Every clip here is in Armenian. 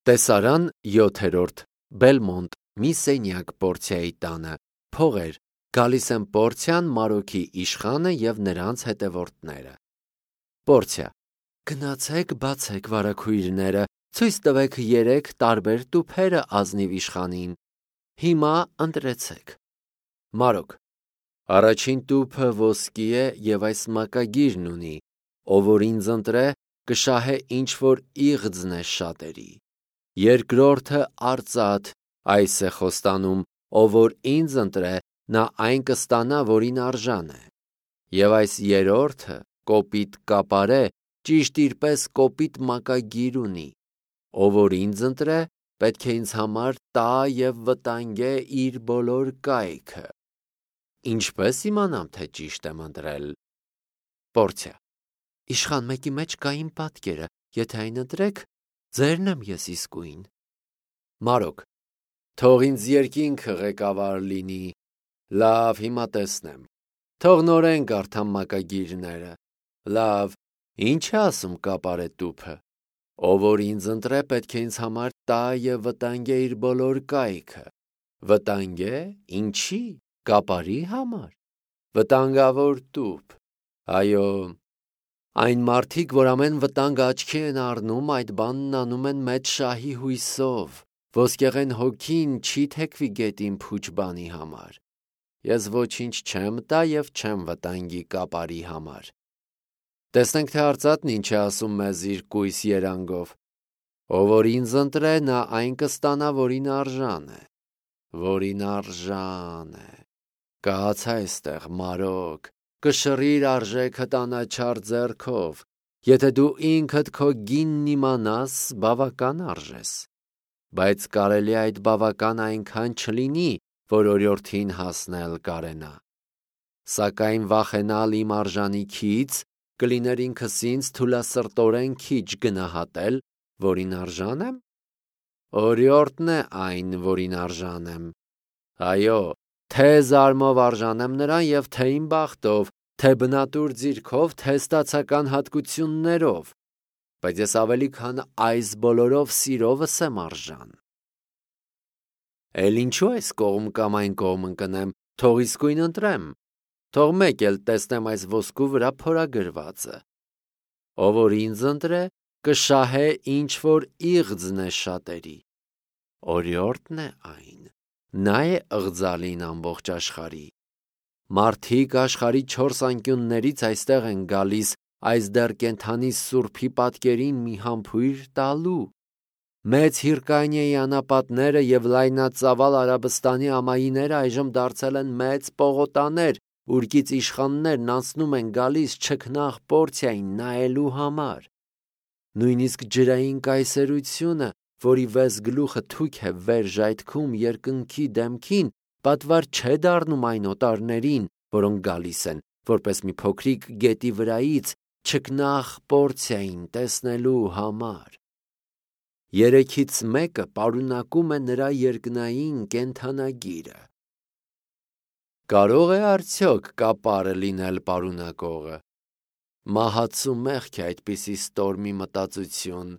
Տեսարան 7-րդ Բելմոնտ մի սենյակ Պորցիայի տանը փողեր գալիս են Պորցիան, Մարոքի իշխանը և նրանց հետևորդները։ Պորցիա. Գնացեք բացեք վարագույրները, ցույց տվեք 3 տարբեր տուփերը ազնիվ իշխանին։ Հիմա ընտրեցեք։ Մարոք. Առաջին տուփը ոսկի է և այս մակագիրն ունի, ով որ ինձ ընտրե, կշահե ինչ-որ իղձն է շատերի։ Երկրորդը արծաթ, այս է խոստանում, ով որ ինձ ընտրե, նա այն կստանա, որին արժան է։ Եվ այս երրորդը կոպիտ կապարե, ճիշտ իր պես կոպիտ մակագիր ունի, ով որ ինձ ընտրե, պետք է ինձ համար տա և վտանգե իր բոլոր կայքը։ Ինչպե՞ս իմանամ, թե ճիշտ եմ ընտրել։ Պորցիա. Իշխան մեկի մեջ կա իմ պատկերը, եթե այն ընտրեք, ձերն եմ ես իսկույն։ Մարոք. Թող ինձ երկինքը ղեկավար լինի։ Լավ, հիմա տեսնեմ։ Թող նորեն կարդամ մակագիրները։ Լավ, ինչ է ասում կապարե տուփը։ Ով որ ինձ ընտրե, պետք է ինձ համար տա և վտանգե իր բոլոր կայքը։ Վտանգե, ինչի, կապարի համար։ Վտանգավոր տուփ։ Այո, այն մարդիկ, որ ամեն վտանգ աչքի են առնում, այդ բանն անում են մեծ շահի հույսով։ Ոսկեղեն հոգին չի թեքվի գետին փուչ բանի համար։ Ես ոչինչ չեմ տա և չեմ վտանգի կապարի համար։ Տեսնենք, թե արծաթն ինչ է ասում մեզ իր կույս երանգով։ Ով որ ինձ ընտրե, նա այն կստանա, որին արժան է։ Որին արժան է։ Կաց այստեղ, Մարոք, կշռիր արժեքդ անաչառ ձեռքով։ Եթե դու ինքդ քո գինն իմանաս, բավական արժես։ Բայց կարելի այդ բավական այնքան չլինի, որ օրիորդին հասնել կարենա։ Սակայն վախենալ իմ արժանիքից կլիներ ինքս ինձ թուլասրտորեն քիչ գնահատել, որին արժան եմ։ Օրիորդն է այն, որին արժան եմ։ Այո, թե զարմով արժան եմ նրան և թե իմ բախտով, թե բնատուր ձիրքով, թե ստացական հատկություններով, բայց ես ավելի քան այս բոլորով սիրովս եմ արժան։ Էլ ինչու այս կողմ կամ այն կողմ ընկնեմ, թող իսկույն ընտրեմ, թող մեկ էլ տեսնեմ այս ոսկու վրա փորագրվածը։ Ով որ ինձ ընտրե, կշահե ինչ-որ իղձն է շատերի։ Օրիորդն է այն, նա է ըղձալին ամբողջ աշխարհի։ Մարդիկ աշխարհի 4 անկյուններից այստեղ են գալիս այս դեռ կենդանի սուրբի պատկերին մի համբույր տալու։ Մեծ Հիրկանիայի անապատները և լայնածավալ Արաբստանի ամայիները այժմ դարձել են մեծ պողոտաներ, ուր իշխաններն անցնում են գալիս չքնաղ Պորցիային նայելու համար։ Նույնիսկ ջրային կայսերությունը, որի վես գլուխը թույք է վեր ժայթքում երկնքի դեմքին, պատվար չէ դառնում այն օտարներին, որոնք գալիս են, որպես մի փոքրիկ գետի վրայից չքնաղ Պորցիային տեսնելու համար։ Երեքից մեկը պարունակում է նրա երկնային կենդանագիրը։ Կարո՞ղ է արդյոք կապարը լինել պարունակողը։ Մահացու մեղք է այդպիսի ստորմի մտածություն։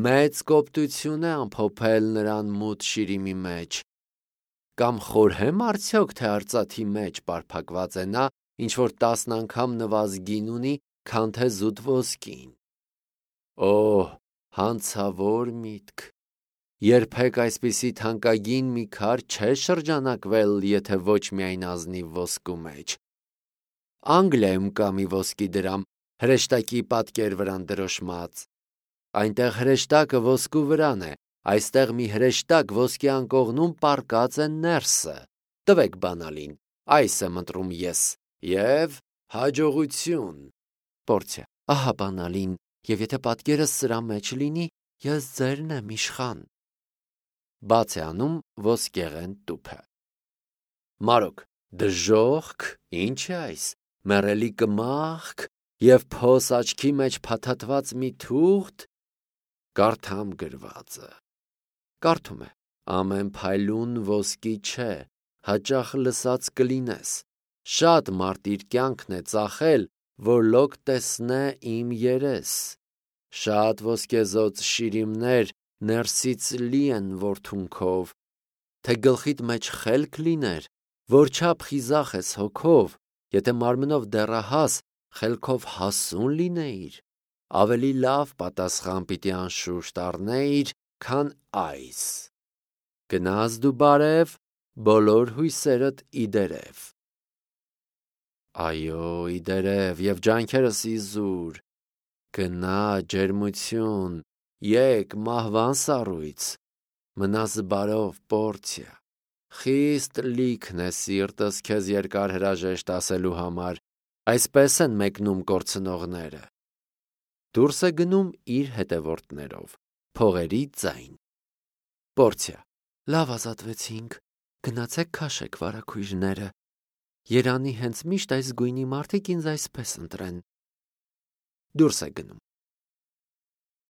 Մեծ կոպտություն է ամփոփել նրան մութ շիրիմի մեջ։ Կամ խորհեմ արդյոք, թե արծաթի մեջ պարփակված է նա, ինչ-որ 10 անգամ նվազգին ունի, քան թե զուտ ոսկին։ Օհ, հանցավոր միտք։ Երբեք այսպիսի թանկագին մի քար չէ շրջանակվել, եթե ոչ միայն ազնիվ ոսկու մեջ։ Անգլիայում կա մի ոսկի դրամ, հրեշտակի պատկեր վրան դրոշմած։ Այնտեղ հրեշտակը ոսկու վրան է, այստեղ մի հրեշտակ ոսկի անկողնում պառկած է ներսը։ Տվեք բանալին, այս եմ ընտրում ես, և հաջողություն։ Պորցիա. Ահա բանալին, և եթե պատկերս սրա մեջ լինի, ես ձերն եմ իշխան։ Բաց է անում ոսկեղեն տուփը։ Մարոք. Դժոխք, ինչ է այս, մեռելի կմախք և փոս աչքի մեջ փաթաթված մի թուղթ։ Կարդամ գրվածը։ Կարդում է. ամեն փայլուն ոսկի չէ, հաճախ լսած կլինես։ Շատ մարդ իր կյանքն է ծախել, որ լոկ տեսնե իմ երես։ Շատ ոսկեզօծ շիրիմներ ներսից լի են որդունքով, թե գլխիդ մեջ խելք լիներ, որչափ խիզախ ես հոգով, եթե մարմնով դեռահաս, խելքով հասուն լինեիր, ավելի լավ պատասխան պիտի անշուշտ առնեիր, քան այս. գնաս դու բարև, բոլոր հույսերդ իդերև։ Այո, իդերև և ջանքերս իզուր, գնա ջերմություն, եկ մահվան սառույց, մնաս բարով Պորցիա, խիստ լիքն է սիրտս քեզ երկար հրաժեշտ ասելու համար, այսպես են մեկնում կորցնողները։ Դուրս է գնում իր հետևորդներով, փողերի ձայն։ Պորցիա, լավ ազատվեցինք, գնացեք քաշեք վարագույրները, երանի հենց միշտ այս գույնի մարդիկ ինձ այսպես ընտրեն։ Դուրս է գնում։